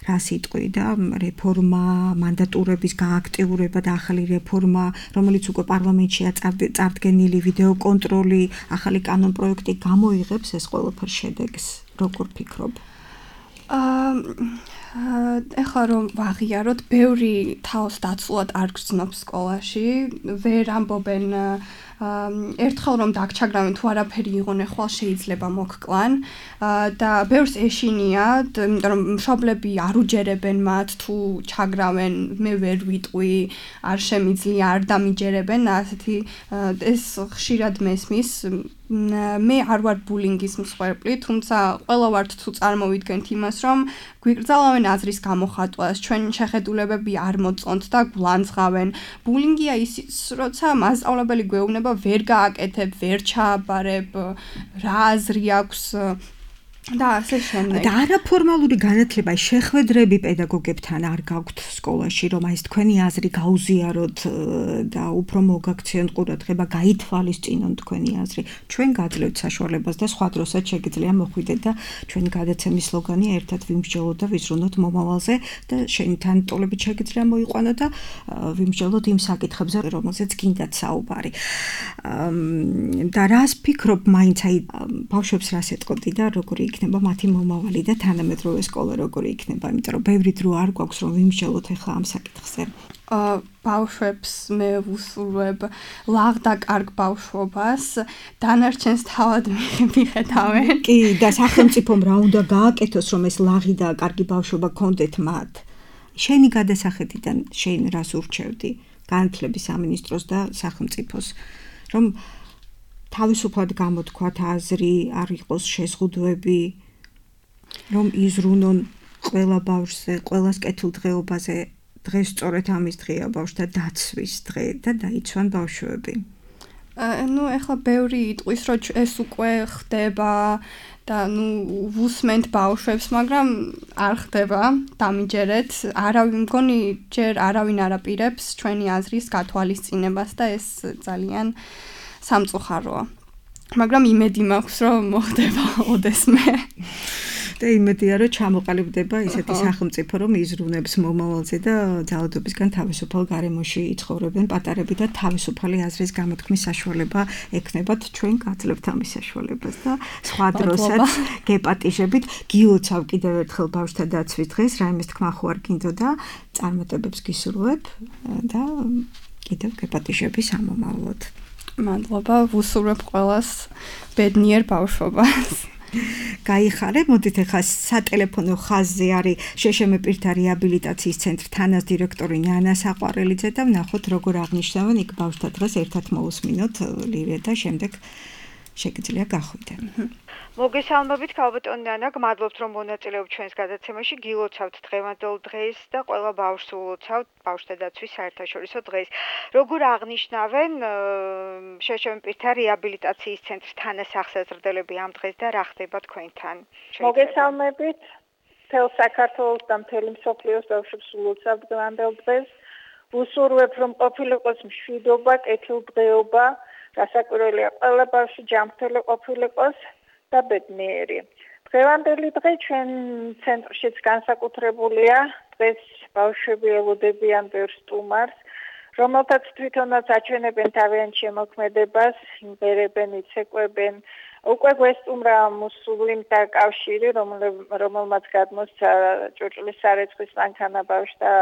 რა სიტყვი და რეფორმა, მანდატურების გააქტიურება და ახალი რეფორმა, რომელიც უკვე პარლამენტშია წარდგენილი, ვიდეო კონტროლი, ახალი კანონპროექტი გამოიღებს ეს ყველაფერ შედეგს. როგორ ფიქრობ? ეხლა რომ ვაღიაროთ, ბევრი თავს დაცულად არ გრძნობს სკოლაში, ვერ ამბობენ ერთხელ რომ დაგჩაგრავენ თუ არაფერი იღონ ახლა შეიძლება მოგკლან და ბევრს ეშინიათ, იმიტომ რომ მშობლები არ უჯერებენ მათ თუ ჩაგრავენ, მე ვერ ვიტყვი, არ შემიძლია, არ დამიჯერებენ, ასეთი ეს ხშირად მესმის. მე არ ვარ ბულინგის მსხვერპლი, თუმცა ყველა ვართ თუ წარმოვიდგენთ იმას, რომ გვიკრძალავენ აზრის გამოხატვას, ჩვენი შეხედულებები არ მოწონთ და გულანძღავენ. ბულინგია ის, როცა მასწავლებელი გვეუბნება ვერ გააკეთებ, ვერ ჩააბარებ, რა აზრი აქვს და ასე შემდეგ. და არაფორმალური განათლება, შეხვედრები პედაგოგებთან არ გაქვთ სკოლაში, რომ აი ეს თქვენი აზრი გაუზიაროთ და უფრო მოგაქციონ ყურადღება, გაითვალისწინონ თქვენი აზრი. ჩვენ გაძლევთ საშუალებას და სხვა დროსაც შეგიძლია მოხვიდეთ და ჩვენი გადაცემის სლოგანია ერთად ვიმსჯელოთ და ვიზრუნოთ მომავალზე და შენი თანატოლებით შეგიძლია მოიყვანოთ და ვიმსჯელოთ იმ საკითხებზე, რომელზეც გინდათ საუბარი. და რას ფიქრობ მაინც აი ბავშვებს რას ეტყობდი და როგორი იქნება მათი მომავალი და თანამედროვე სკოლა როგორი იქნება, იმიტომ რომ ბევრი დრო არ გვაქვს რომ ვიმსჯელოთ ახლა ამ საკითხზე. ბავშვებს მე ვუსურვებ ლაღ და კარგ ბავშვობას, დანარჩენს თავად მიხედავენ. კი, და სახელმწიფომ რა უნდა გააკეთოს, რომ ეს ლაღი და კარგი ბავშვობა გქონდეთ მათ. შენი გადასახედიდან შენ რას ურჩევდი განათლების სამინისტროს და სახელმწიფოს, რომ თავისუფლად გამოთქვათ აზრი, არ იყოს შეზღუდვები, რომ იზრუნონ ყველა ბავშვზე, ყველას კეთილდღეობაზე. დღეს სწორედ ამის დღეა, ბავშვთა დაცვის დღე და დაიცვან ბავშვები. ეხლა ბევრი იტყვის, რომ ეს უკვე ხდება და ვუსმენთ ბავშვებს, მაგრამ არ ხდება, დამიჯერეთ. არავინ მგონი ჯერ არავინ არ აპირებს ჩვენი აზრის გათვალისწინებას და ეს ძალიან სამწუხაროა. მაგრამ იმედი მაქვს, რომ მოხდება ოდესმე. და იმედია, რომ ჩამოყალიბდება ისეთი სახელმწიფო, რომ იზრუნებს მომავალზე და ძალადობისგან თავისუფალ გარემოში იცხოვრებენ პატარები და თავისუფალი აზრის გამოთქმის საშუალება ექნებათ. ჩვენ გაძლევთ ამის საშუალებას და სხვა დროსაც გეპატიჟებით. გილოცავ კიდევ ერთხელ ბავშვთა დაცვის დღეს, რაიმეს თქმა ხო არ გინდოდა, წარმატებებს გისურვებ და კიდევ გეპატიჟები სამომავლოდ. მადლობა, ვუსურვებ ყველას ბედნიერ ბავშვობას. გაიხარე, მოდით ახლა სატელეფონო ხაზზე არის შშმ პირთა რეაბილიტაციის ცენტრის თანას დირექტორი ნანა საყვარელიძე და ვნახოთ როგორ აღნიშნავენ იქ ბავშვთა დღეს ერთად მოусმინოთ ლირია და შემდეგ შეგიძლია გახვიდე. მოგესალმებით ქალბატონი ნანა, გმადლობთ რომ მონაწილეობთ ჩვენს გადაცემაში, გილოცავთ დღევანდელ დღეს და ყველა ბავშვს ულოცავთ ბავშვთა დაცვის საერთაშორისო დღეს. როგორ აღნიშნავენ შშმ პირთა რეაბილიტაციის ცენტრის თანასახსაზრდელები ამ დღეს და რა ხდება თქვენთან? მოგესალმებით, მთელ საქართველოს და მთელი მსოფლიოს ბავშვებს ულოცავთ დღევანდელ დღეს. ვუსურვებ რომ ყოფილიყოს მშვიდობა, კეთილდღეობა, რასაკვირველია ყველა ბავშვი ჯანმრთელი ყოფილიყოს და ბედნიერი. დღევანდელი დღე ჩვენ ცენტრშიც განსაკუთრებულია. დღეს ბავშვები ელოდებიან ბევრ სტუმარს, რომელთაც თვითონაც აჩვენებენ თავიანთ შემოქმედებას, იმღერებენ, იცეკვებენ. უკვე გვესტუმრა მუსლიმთა კავშირი, რომელმაც გადმოსცა ჭურჭლის სარეცხვის მანქანა ბავშვთა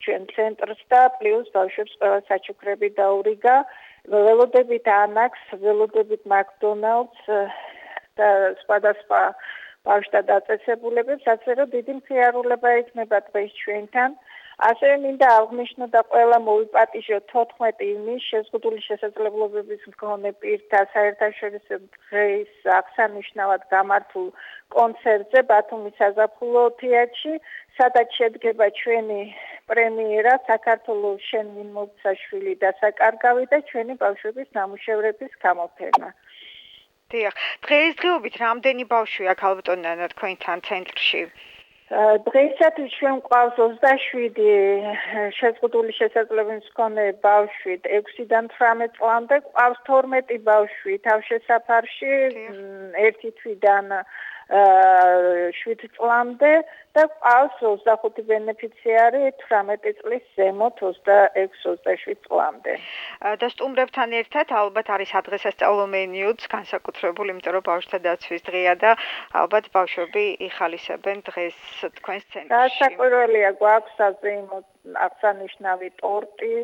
ჩვენ ცენტრს და პლუს ბავშვებს ყველა საჩუქრები დაურიგა. ველოდებით ანაქს, ველოდებით მაკდონალდს და სხვადასხვა ბავშვთა დაწესებულებებს, ასე რომ დიდი მხიარულება იქნება დღეს ჩვენთან. ასევე მინდა აღნიშნო და ყველა მოვიპატიჟოთ 14 ივნისს შეზღუდული შესაძლებლობების მქონე პირთა საერთაშორისო დღის აღსანიშნავად გამართულ კონცერტზე ბათუმის საზაფხულო თეატრში, სადაც შედგება ჩვენი პრემიერა საქართველოს შენ მიმოწაშვილი და საკარგავი და ჩვენი ბავშვების ნამუშევრების გამოფენა. დიახ, დღესდღეობით რამდენი ბავშვია ქალბატონო თქვენთან ცენტრში? დღეისათვის ჩვენ გვყავს 27 შეზღუდული შესაძლებლობის მქონე ბავშვი 6-დან 18 წლამდე, გვყავს 12 ბავშვი თავშესაფარში 1 თვიდან 7 წლამდე და გვყავს 25 ბენეფიციარი 18 წლის ზემოთ 26-27 წლამდე. და სტუმრებთან ერთად ალბათ არის ადრესასწავლო მენიუც განსაკუთრებული, იმიტომ რომ ბავშვთა დაცვის დღეა და ალბათ ბავშვები იხალისებენ დღეს თქვენს ცენტრში. დასაკვირველია, გვაქვს საზეიმო აღსანიშნავი ტორტი,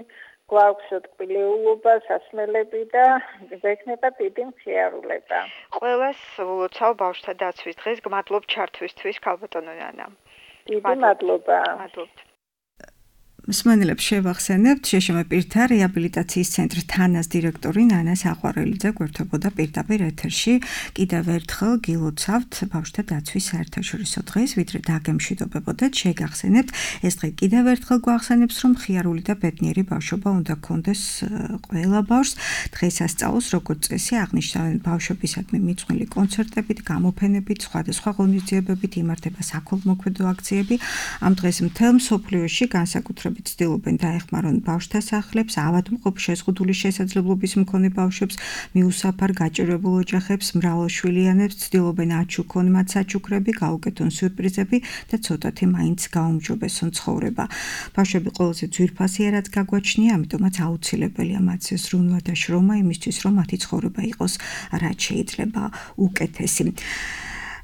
გვაქვს ტკბილეულობა, სასმელები და გექნება დიდი მხიარულება. ყველას ულოცავ ბავშვთა დაცვის დღეს, გმადლობ ჩართვისთვის ქალბატონო ნანა. დიდი მადლობა. მადლობთ. მსმენელებს შევახსენებთ, შეშმე პირთა რეაბილიტაციის ცენტრის თანას დირექტორი ნანა საყვარელიძე გვერდებოდა პირდაპირ ეთერში. კიდევ ერთხელ გილოცავთ ბავშვთა დაცვის საერთაშორისო დღეს, ვიდრე დაგემშვიდობებოდეთ, შეგახსენებთ, ეს დღე კიდევ ერთხელ გვახსენებს, რომ ხიარული და ბედნიერი ბავშვობა უნდა გქონდეს ყველა ბავშვს. დღესასწაულს, როგორც წესი, აღნიშნავენ ბავშვებისადმი მიძღვნილი კონცერტებით, გამოფენებით, სხვადასხვა ღონისძიებებით იმართება საქველმოქმედო აქციები. ამ დღეს მთელ მსოფლიოში განსაკუთრებით ცდილობენ დაეხმარონ ბავშვთა სახლებს, ავადმყოფ შეზღუდული შესაძლებლობის მქონე ბავშვებს, მიუსაფარ გაჭირვებულ ოჯახებს, მრავალშვილიანებს, ცდილობენ აჩუქონ მათ საჩუქრები, გაუკეთონ სიურპრიზები და ცოტათი მაინც გაუმჯობესონ ცხოვრება. ბავშვები ყველაზე ძვირფასია, რაც გაგვაჩნია, ამიტომაც აუცილებელია მათზე ზრუნვა და შრომა იმისთვის, რომ მათი ცხოვრება იყოს რაც შეიძლება უკეთესი.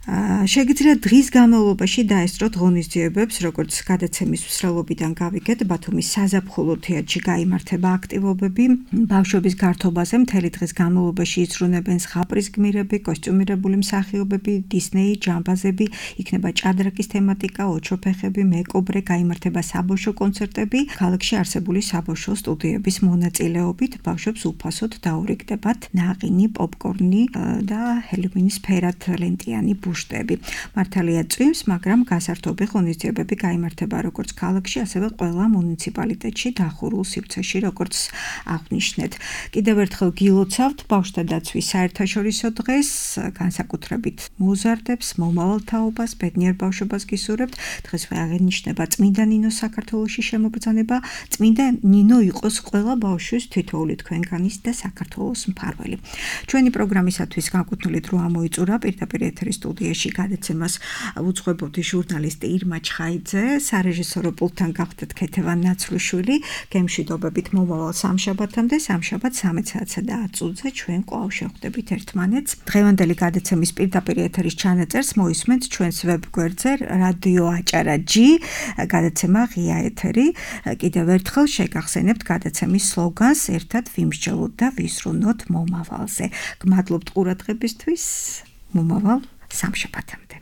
შეგიძლიათ დღის განმავლობაში დაესწროთ ღონისძიებებს, როგორც გადაცემის მსვლელობიდან გავიგეთ, ბათუმის საზაფხულო თეატრში გაიმართება აქტივობები. ბავშვების გართობაზე მთელი დღის განმავლობაში იზრუნებენ ზღაპრის გმირები, კოსტიუმირებული მსახიობები, დისნეი, ჯამბაზები, იქნება ჭადრაკის თემატიკა, ოჩოფეხები, მეკობრე, გაიმართება საბავშვო კონცერტები. ქალაქში არსებული საბავშვო სტუდიების მონაწილეობით ბავშვებს უფასოდ დაურიგდებათ ნაყინი, პოპკორნი და ჰელოვინის ფერადლენტიანი მართალია წვიმს, მაგრამ გასართობი ღონისძიებები გაიმართება როგორც ქალაქში, ასევე ყველა მუნიციპალიტეტში დახურულ სივრცეში, როგორც აღნიშნეთ. კიდევ ერთხელ გილოცავთ ბავშვთა დაცვის საერთაშორისო დღეს, განსაკუთრებით მოზარდებს, მომავალ თაობას, ბედნიერ ბავშვობას გისურვებთ. დღესვე აღინიშნება წმინდა ნინოს საქართველოში შემობრძანება. წმინდა ნინო იყოს ყველა ბავშვის თითოეული თქვენგანის და საქართველოს მფარველი. ჩვენი პროგრამისათვის განკუთვნილი დრო ამოიწურა პირდაპირ ეთერის სტუდიაში გადაცემას უძღვებოდი ჟურნალისტი ირმა ჩხაიძე, სარეჟისორო პულტთან გახდათ ქეთევან ნაცვლიშვილი. გემშვიდობებით მომავალ სამშაბათამდე, სამშაბათ 13:10 ჩვენ კვლავ შევხვდებით ერთმანეთს. დღევანდელი გადაცემის პირდაპირ ეთერის ჩანაწერს მოისმენთ ჩვენს ვებგვერდზე რადიო აჭარა G, გადაცემა ღია ეთერი. კიდევ ერთხელ შეგახსენებთ გადაცემის სლოგანს ერთად ვიმსჯელოთ და ვიზრუნოთ მომავალზე. გმადლობთ ყურადღებისთვის. მომავალ სამშაბათამდე.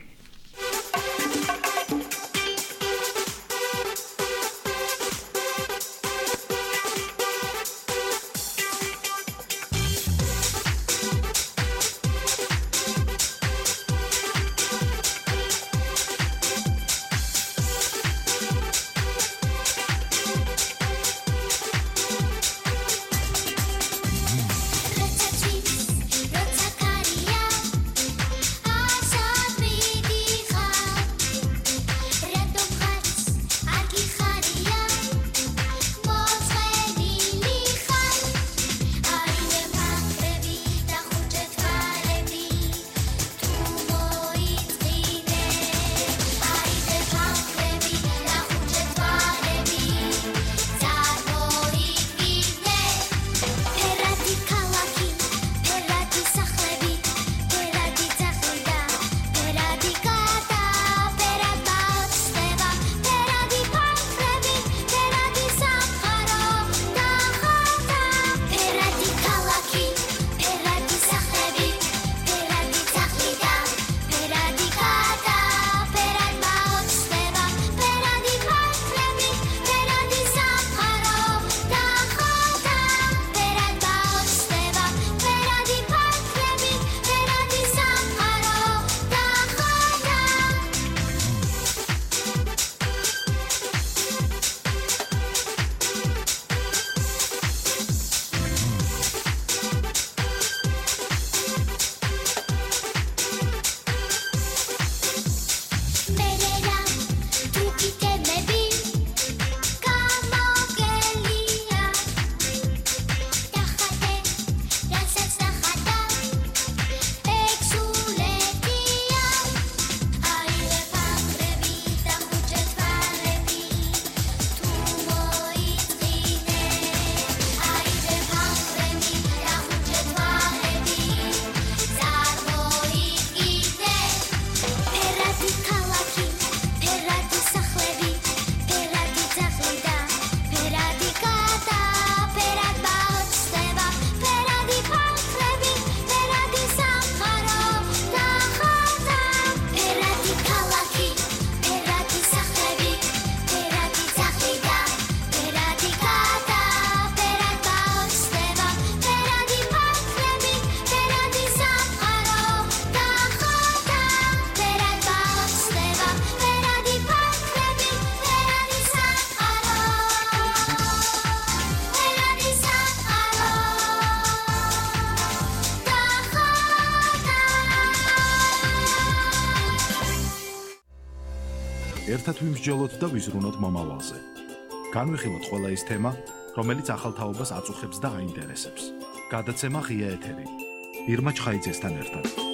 Roca Caria, a ერთად ვიმსჯელოთ და ვიზრუნოთ მომავალზე. განვიხილოთ ყველა ის თემა, რომელიც ახალ თაობას აწუხებს და აინტერესებს. გადაცემა ღია ეთერი. ირმა ჩხაიძესთან ერთად.